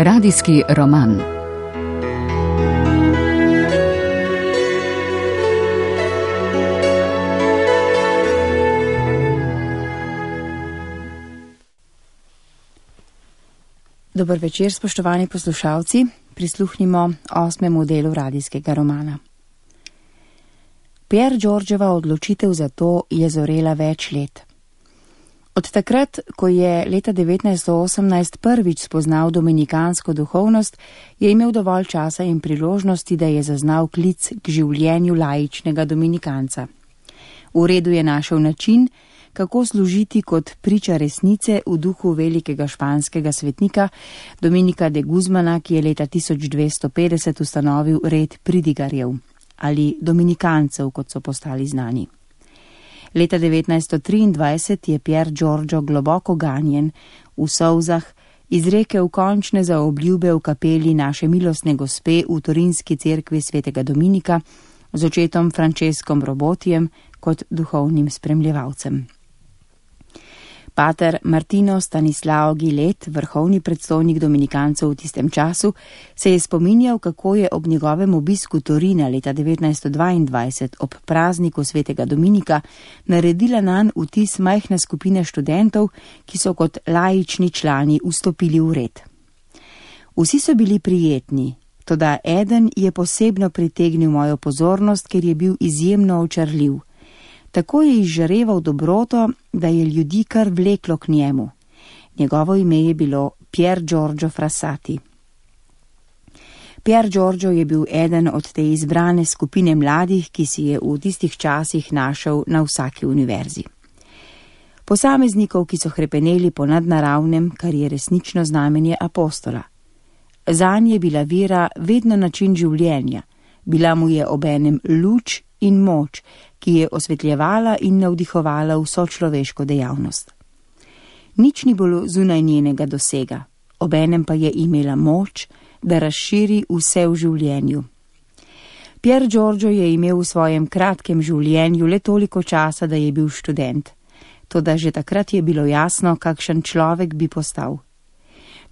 Radijski roman. Dober večer, spoštovani poslušalci. Prisluhnimo 8. delu radijskega romana. Pier Giorgiova odločitev za to je zorela več let. Od takrat, ko je leta 1918 prvič spoznal dominikansko duhovnost, je imel dovolj časa in priložnosti, da je zaznal klic k življenju laičnega dominikanca. V redu je našel način, kako služiti kot priča resnice v duhu velikega španskega svetnika Dominika de Guzmana, ki je leta 1250 ustanovil red pridigarjev ali dominikancev, kot so postali znani. Leta 1923 je Pier Giorgio globoko ganjen, v solzah, izrekel končne zaobljube v kapeli naše milostne gospe v Torinski cerkvi svetega Dominika z očetom Franceskom Robotijem kot duhovnim spremljevalcem. Pater Martino Stanislao Gilet, vrhovni predstojnik dominikancev v tistem času, se je spominjal, kako je ob njegovem obisku Torina leta 1922 ob prazniku svetega Dominika naredila nanj vtis majhna skupina študentov, ki so kot laični člani vstopili v red. Vsi so bili prijetni, toda eden je posebno pritegnil mojo pozornost, ker je bil izjemno očarljiv. Tako je izžareval dobroto, da je ljudi kar vleklo k njemu. Njegovo ime je bilo Pier Giorgio Frassati. Pier Giorgio je bil eden od te izbrane skupine mladih, ki si je v tistih časih našel na vsaki univerzi. Posameznikov, ki so hrepeneli po nadnaravnem, kar je resnično znamenje apostola. Zanj je bila vera vedno način življenja, bila mu je obenem luč in moč, ki je osvetljevala in navdihovala vso človeško dejavnost. Nič ni bilo zunaj njenega dosega, obenem pa je imela moč, da razširi vse v življenju. Pier Giorgio je imel v svojem kratkem življenju le toliko časa, da je bil študent. Toda že takrat je bilo jasno, kakšen človek bi postal.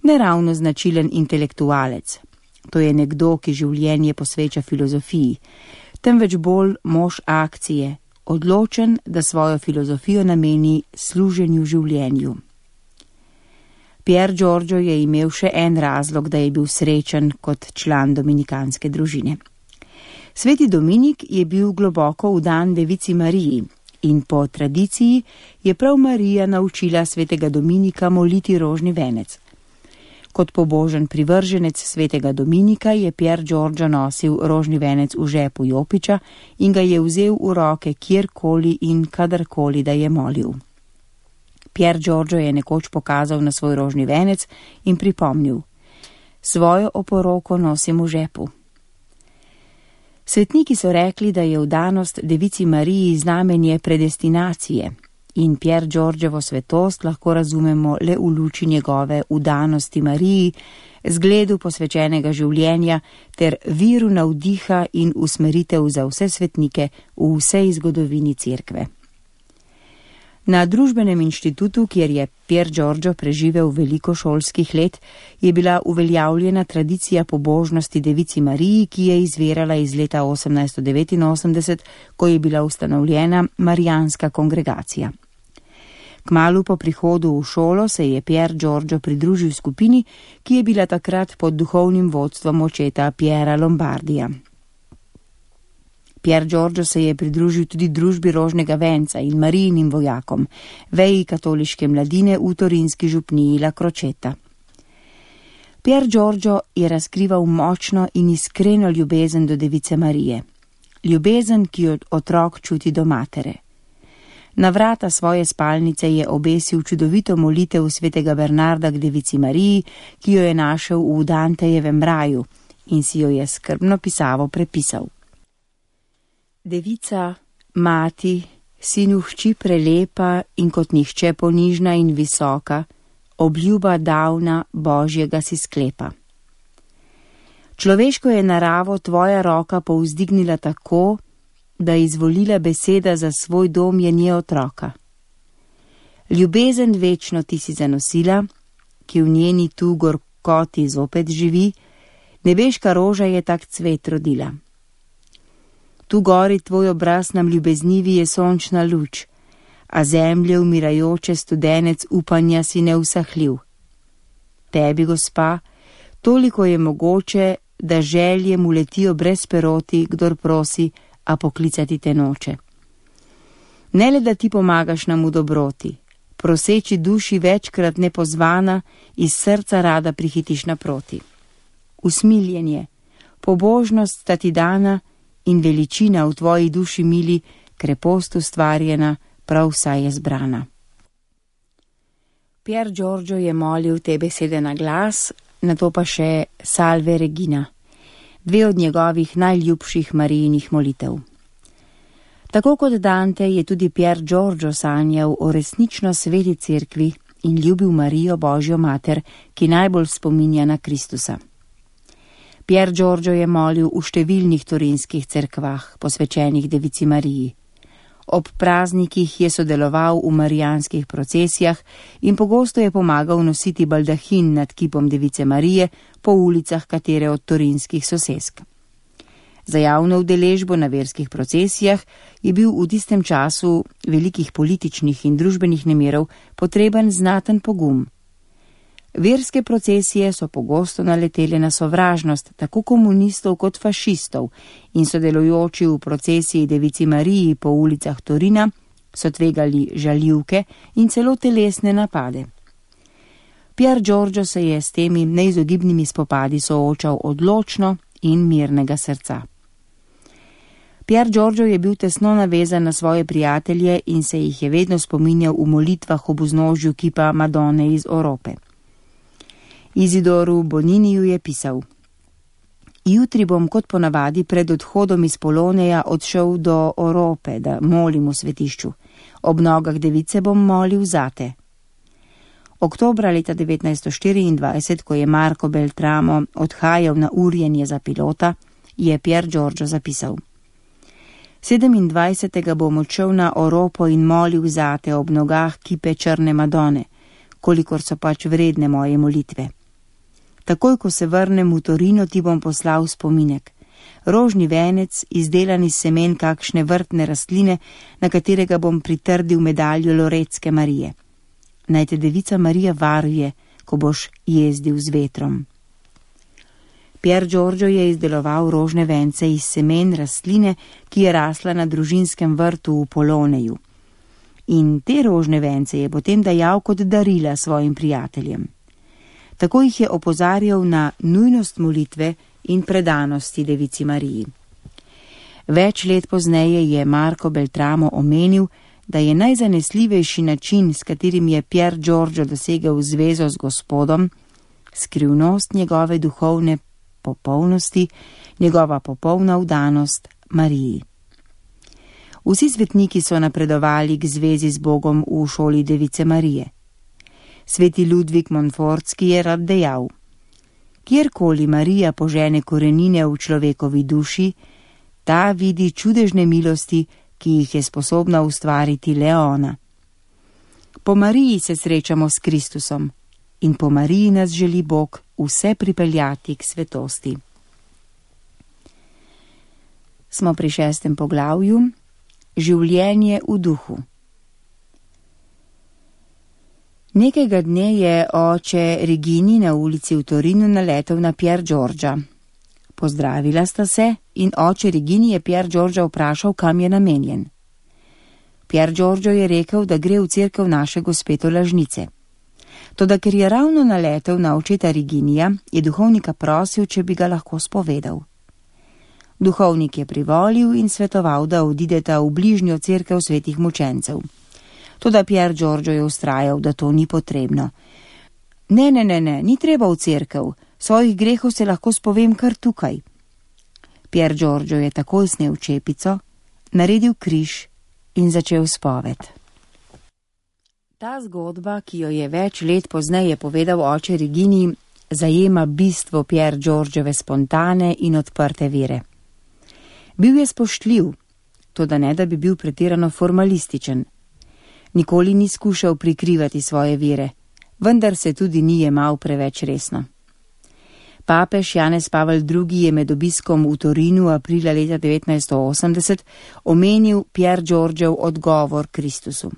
Neravno značilen intelektualec. To je nekdo, ki življenje posveča filozofiji, temveč bolj mož akcije, odločen, da svojo filozofijo nameni služenju življenju. Pier Giorgio je imel še en razlog, da je bil srečen kot član dominikanske družine. Sveti Dominik je bil globoko vdan devici Mariji in po tradiciji je prav Marija naučila svetega Dominika moliti rožni venec. Kot pobožen privrženec svetega Dominika je Pier Giorgio nosil rožni venec v žepu jopiča in ga je vzel v roke kjerkoli in kadarkoli, da je molil. Pier Giorgio je nekoč pokazal na svoj rožni venec in pripomnil: svojo oporoko nosim v žepu. Svetniki so rekli, da je vdanost devici Mariji znamenje predestinacije, in Pier Giorgiovo svetost lahko razumemo le v luči njegove vdanosti Mariji, zgledu posvečenega življenja ter viru navdiha in usmeritev za vse svetnike v vsej zgodovini cerkve. Na družbenem inštitutu, kjer je Pier Giorgio preživel veliko šolskih let, je bila uveljavljena tradicija pobožnosti devici Mariji, ki je izvirala iz leta 1889, ko je bila ustanovljena Marijanska kongregacija. Kmalu po prihodu v šolo se je Pier Giorgio pridružil skupini, ki je bila takrat pod duhovnim vodstvom očeta Piera Lombardija. Pier Giorgio se je pridružil tudi družbi rožnega venca in Marijinim vojakom, veji katoliške mladine v torinski župniji La Crocetta. Pier Giorgio je razkrival močno in iskreno ljubezen do device Marije. Ljubezen, ki jo otrok čuti do matere. Na vrata svoje spalnice je obesil čudovito molitev svetega Bernarda k devici Mariji, ki jo je našel v Dantejevem raju in si jo je skrbno pisavo prepisal. Devica, mati, si hči prelepa in kot nihče ponižna in visoka, obljuba davna Božjega si sklepa. Človeško je naravo tvoja roka povzdignila tako, da izvolila beseda za svoj dom je nje otroka. Ljubezen večno ti si zanosila, ki v njeni tu koti zopet živi, nebeška roža je tak cvet rodila. Tu gori tvoj obraz nam ljubeznivi je sončna luč, a zemlje umirajoče studenec upanja si neusahljiv. Tebi, gospa, toliko je mogoče, da želje mu letijo brez peroti, kdor prosi, a poklicati te noče. Ne le, da ti pomagaš nam v dobroti, proseči duši večkrat nepozvana, iz srca rada prihitiš naproti. Usmiljenje, pobožnost sta ti dana in veličina v tvoji duši mili, krepost ustvarjena, prav vsa je zbrana. Pier Giorgio je molil te besede na glas, nato pa še Salve Regina, dve od njegovih najljubših Marijinih molitev. Tako kot Dante je tudi Pier Giorgio sanjal o resnično sveti cerkvi in ljubil Marijo, Božjo mater, ki najbolj spominja na Kristusa. Pier Giorgio je molil v številnih turinskih cerkvah, posvečenih Devici Mariji. Ob praznikih je sodeloval v marijanskih procesijah in pogosto je pomagal nositi baldahin nad kipom Device Marije po ulicah katere od turinskih sosesk. Za javno udeležbo na verskih procesijah je bil v tistem času velikih političnih in družbenih nemirov potreben znaten pogum. Verske procesije so pogosto naletele na sovražnost tako komunistov kot fašistov in sodelujoči v procesiji Devici Mariji po ulicah Torina so tvegali žaljivke in celo telesne napade. Pier Giorgio se je s temi neizogibnimi spopadi soočal odločno in mirnega srca. Pier Giorgio je bil tesno navezan na svoje prijatelje in se jih je vedno spominjal v molitvah ob vznožju kipa Madone iz Orope. Izidoru Boniniju je pisal: Jutri bom kot ponavadi pred odhodom iz Poloneja odšel do Orope, da molim v svetišču. Ob nogah device bom molil zate. Oktobra leta 1924, ko je Marco Beltramo odhajal na urjenje za pilota, je Pier Giorgio zapisal: 27. bom odšel na Oropo in molil zate ob nogah kipe Črne Madone, kolikor so pač vredne moje molitve. Takoj, ko se vrnem v Torino, ti bom poslal spominek. Rožni venec, izdelan iz semen kakšne vrtne rastline, na katerega bom pritrdil medaljo Loretske Marije. Naj te Devica Marija varuje, ko boš jezdil z vetrom. Pier Giorgio je izdeloval rožne vence iz semen rastline, ki je rasla na družinskem vrtu v Poloneju. In te rožne vence je potem dajal kot darila svojim prijateljem. Tako jih je opozarjal na nujnost molitve in predanosti Devici Mariji. Več let pozneje je Marco Beltramo omenil, da je najzanesljivejši način, s katerim je Pier Giorgio dosegel zvezo z Gospodom, skrivnost njegove duhovne popolnosti, njegova popolna vdanost Mariji. Vsi svetniki so napredovali k zvezi z Bogom v šoli Device Marije. Sveti Ludvik Montfortski je rad dejal: Kjerkoli Marija požene korenine v človekovi duši, ta vidi čudežne milosti, ki jih je sposobna ustvariti le ona. Po Mariji se srečamo s Kristusom in po Mariji nas želi Bog vse pripeljati k svetosti. Smo pri 6. poglavju. Življenje v duhu. Nekega dne je oče Regini na ulici v Torinu naletel na Pier Giorgia. Pozdravila sta se in oče Regini je Pier Giorgia vprašal, kam je namenjen. Pier Giorgio je rekel, da gre v cerkev naše gospe Tolažnice. Toda ker je ravno naletel na očeta Reginija, je duhovnika prosil, če bi ga lahko spovedal. Duhovnik je privolil in svetoval, da odideta v bližnjo cerkev svetih mučencev. Toda Pier Giorgio je vztrajal, da to ni potrebno. Ne, ni treba v cerkev, svojih grehov se lahko spovem kar tukaj. Pier Giorgio je takoj snel čepico, naredil križ in začel spoved. Ta zgodba, ki jo je več let pozneje povedal oče Regini, zajema bistvo Pier Giorgiove spontane in odprte vere. Bil je spoštljiv, toda ne da bi bil pretirano formalističen. Nikoli ni skušal prikrivati svoje vere, vendar se tudi ni jemal preveč resno. Papež Janez Pavel II je med obiskom v Torinu aprila leta 1980 omenil Pier Giorgiev odgovor Kristusu.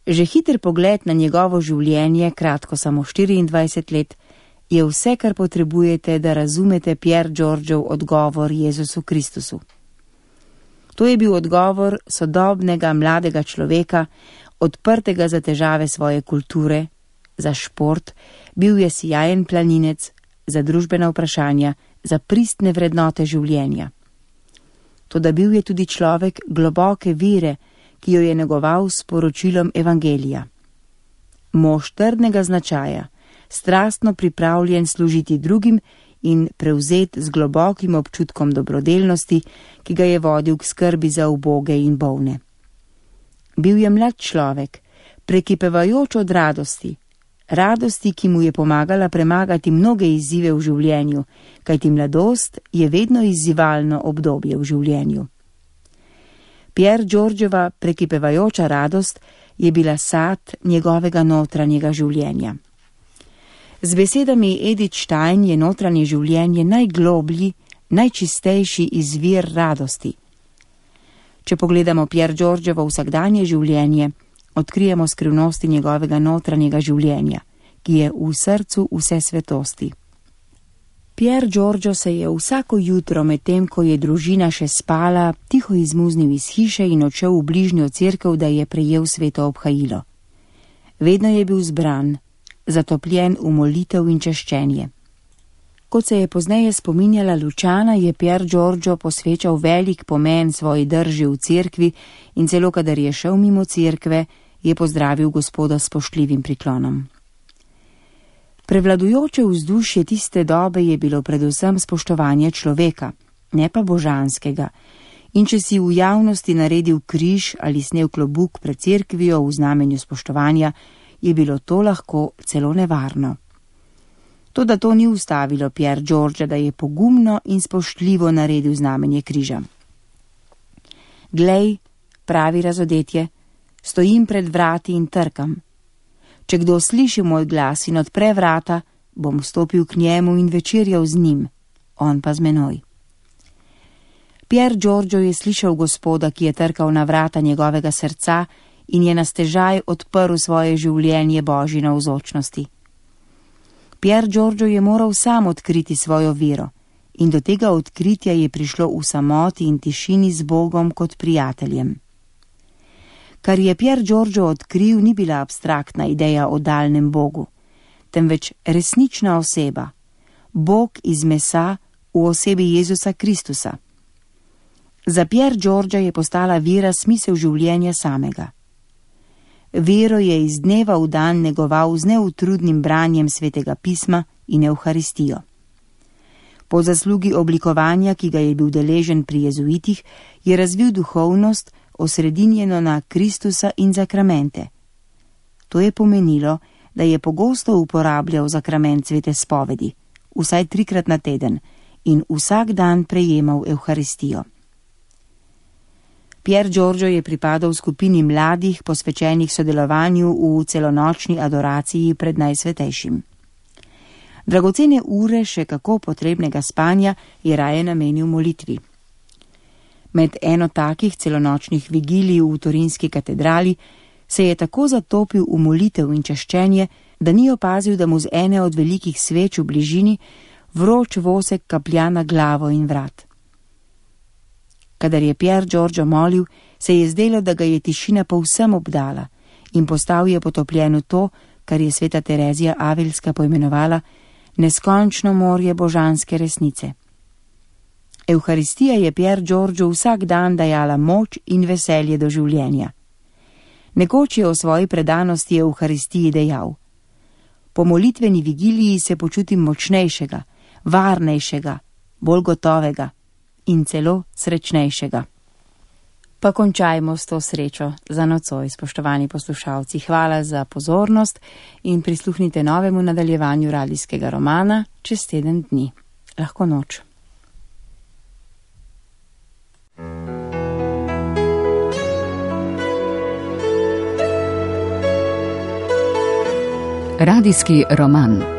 Že hiter pogled na njegovo življenje, kratko samo 24 let, je vse, kar potrebujete, da razumete Pier Giorgiev odgovor Jezusu Kristusu. To je bil odgovor sodobnega mladega človeka, odprtega za težave svoje kulture, za šport, bil je sijajen planinec, za družbena vprašanja, za pristne vrednote življenja. Toda bil je tudi človek globoke vere, ki jo je negoval s poročilom evangelija. Mož trdnega značaja, strastno pripravljen služiti drugim in prevzet z globokim občutkom dobrodelnosti, ki ga je vodil k skrbi za uboge in bolne. Bil je mlad človek, prekipevajoč od radosti, ki mu je pomagala premagati mnoge izzive v življenju, kajti mladost je vedno izzivalno obdobje v življenju. Pier Giorgiova prekipevajoča radost je bila sad njegovega notranjega življenja. Z besedami Edith Stein je notranje življenje najgloblji, najčistejši izvir radosti. Če pogledamo Pier Giorgiovo vsakdanje življenje, odkrijemo skrivnosti njegovega notranjega življenja, ki je v srcu vse svetosti. Pier Giorgio se je vsako jutro, medtem ko je družina še spala, tiho izmuznil iz hiše in odšel v bližnjo cerkev, da je prejel sveto obhajilo. Vedno je bil zbran, zatopljen v molitev in češčenje. Kot se je pozneje spominjala Lučana, je Pier Giorgio posvečal velik pomen svoji drži v cerkvi in celo kadar je šel mimo cerkve, je pozdravil Gospoda s spoštljivim priklonom. Prevladujoče vzdušje tiste dobe je bilo predvsem spoštovanje človeka, ne pa božanskega, in če si v javnosti naredil križ ali snel klobuk pred cerkvijo v znamenju spoštovanja, je bilo to lahko celo nevarno. Toda to ni ustavilo Pier Giorgia, da je pogumno in spoštljivo naredil znamenje križa. Glej, pravi razodetje, stojim pred vrati in trkam. Če kdo sliši moj glas in odpre vrata, bom stopil k njemu in večerjal z njim, on pa z menoj. Pier Giorgio je slišal Gospoda, ki je trkal na vrata njegovega srca in je na stežaj odprl svoje življenje Božji navzočnosti. Pier Giorgio je moral sam odkriti svojo vero in do tega odkritja je prišlo v samoti in tišini z Bogom kot prijateljem. Kar je Pier Giorgio odkril, ni bila abstraktna ideja o daljnem Bogu, temveč resnična oseba, Bog iz mesa v osebi Jezusa Kristusa. Za Pier Giorgia je postala vera smisel življenja samega. Vero je iz dneva v dan negoval z neutrudnim branjem svetega pisma in Evharistijo. Po zaslugi oblikovanja, ki ga je bil deležen pri jezuitih, je razvil duhovnost, osredinjeno na Kristusa in zakramente. To je pomenilo, da je pogosto uporabljal zakrament svete spovedi, vsaj 3-krat na teden, in vsak dan prejemal Evharistijo. Pier Giorgio je pripadal skupini mladih, posvečenih sodelovanju v celonočni adoraciji pred Najsvetejšim. Dragocene ure še kako potrebnega spanja je raje namenil molitvi. Med eno takih celonočnih vigilij v Torinski katedrali se je tako zatopil v molitev in češčenje, da ni opazil, da mu z ene od velikih sveč v bližini vroč vosek kaplja na glavo in vrat. Kadar je Pier Giorgio molil, se je zdelo, da ga je tišina povsem obdala in postal je potopljen v to, kar je sveta Terezija Avilska poimenovala neskončno morje božanske resnice. Evharistija je Pier Giorgio vsak dan dajala moč in veselje do življenja. Nekoč je o svoji predanosti Evharistiji dejal: po molitveni vigiliji se počutim močnejšega, varnejšega, bolj gotovega in celo srečnejšega. Pa končajmo s to srečo za nocoj, spoštovani poslušalci. Hvala za pozornost in prisluhnite novemu nadaljevanju radijskega romana čez teden dni. Lahko noč. Radijski roman.